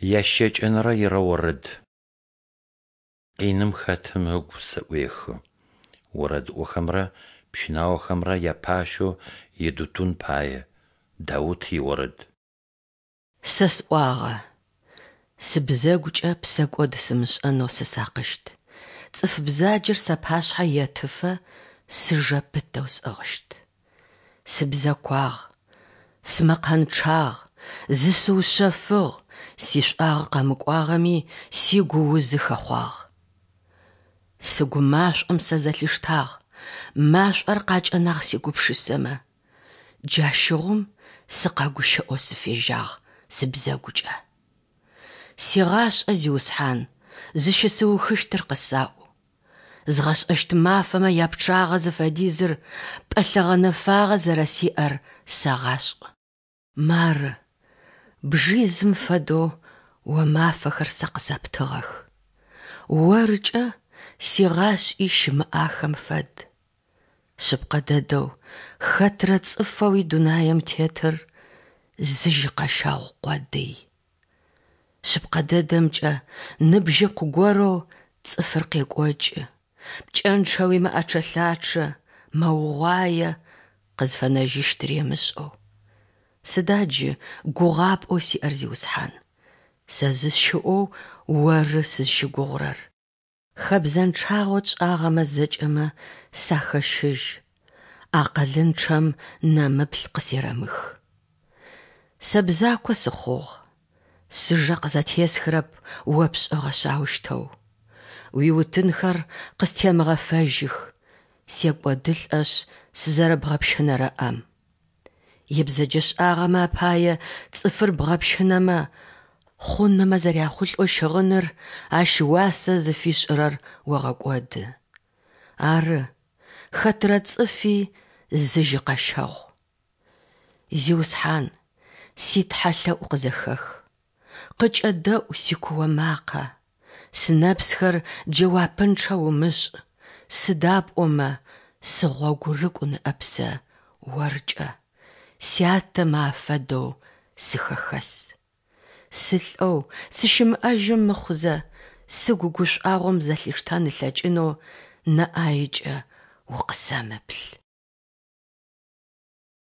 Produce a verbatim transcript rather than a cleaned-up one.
Ящэкӏэнэрэ ирэорэд. Къиным хэтым ыгу зэӏуехы. Орэдыӏохэмрэ пщынаохэмрэ япащэу Едутун пае. Даут иорэд. Сэ сӏуагъэ: Сыбзэгукӏэ псэкӏод сымышӏэнэу сысакъыщт, цӏыф бзаджэр сапашъхьэ етыфэ сыжэ пытэу сӏыгъыщт. Сыбзэкуагъ, сымэкъэнчъагъ, зысыушъэфыгъ, сишӏуагъэ къэмыкӏуагъэми, сигуузы хэхъуагъ. Сыгу машӏом сэ зэлъиштагъ, машӏор къакӏэнагъ сигупшысэмэ. Джащыгъум сыкъэгущыӏэу сыфежьагъ сыбзэгукӏэ. Сигъашӏэ, Зиусхьан, зыщысыухыщтыр къысаӏу. Згъэшӏэщт мафэмэ япчъагъэ зыфэдизыр пӏэлъэ гъэнэфагъэ зэрэсиӏэр сэгъашӏ. Мары, бжизым фэдэу О мафэхэр сэ къысэптыгъэх, Оркӏэ сигъашӏи щымыӏахэм фэд. Шъыпкъэ дэдэу, хэтрэ цӏыфэуи дунаем тетыр зы жьыкъэщэгъу къодый. Шъыпкъэ дэдэмкӏэ, ныбжьыкъу горэу цӏыфыр къекӏокӏы, пкӏэнчъэуи мэӏэчъэ-лъачъэ, мэугъуае, къызфэнэжьыщтыри ымышӏэу. Сыда джы гугъапӏэу сиӏэр, Зиусхьан? Сэ зысщыӏэу Оры сызщыгугъурэр. Хэбзэнчъагъэу тшӏагъэмэ зэкӏэмэ сахэщыжь, акъылынчъэм нэмыплъ къысерэмых. Сэ бзако сыхъугъ, сыжэ къызэтесхырэп О пшӏыгъэшъ аущтэу. Уиутынхэр къыстемыгъэфэжьых, секӏодылӏэшъ сызэрэбгъэпщынэрэ ӏэм. Ибзэджэшӏагъэмэ апае цӏыфыр бгъэпщынэмэ, хъунэмэ зэряхъулӏэу щыгъыныр ащ уасэ зыфишӏырэр огъэкӏоды. Ары, хэтрэ цӏыфи зы жьыкъэщэгъу. Зиусхьан, си Тхьэлъэӏу къызэхэх, къыкӏэдэӏу сикуо макъэ, сынэпсхэр джэуапынчъэ умышӏ, сыда пӏомэ сыгъогурыкӏу ныӏэп сэ Оркӏэ, сятэмэ афэдэу сыхэхэс. Сылӏэу, сыщымыӏэжьы мыхъузэ, сыгу гушӏуагъом зэлъиштэн ылъэкӏынэу нэ ӏаекӏэ укъысэмыплъ.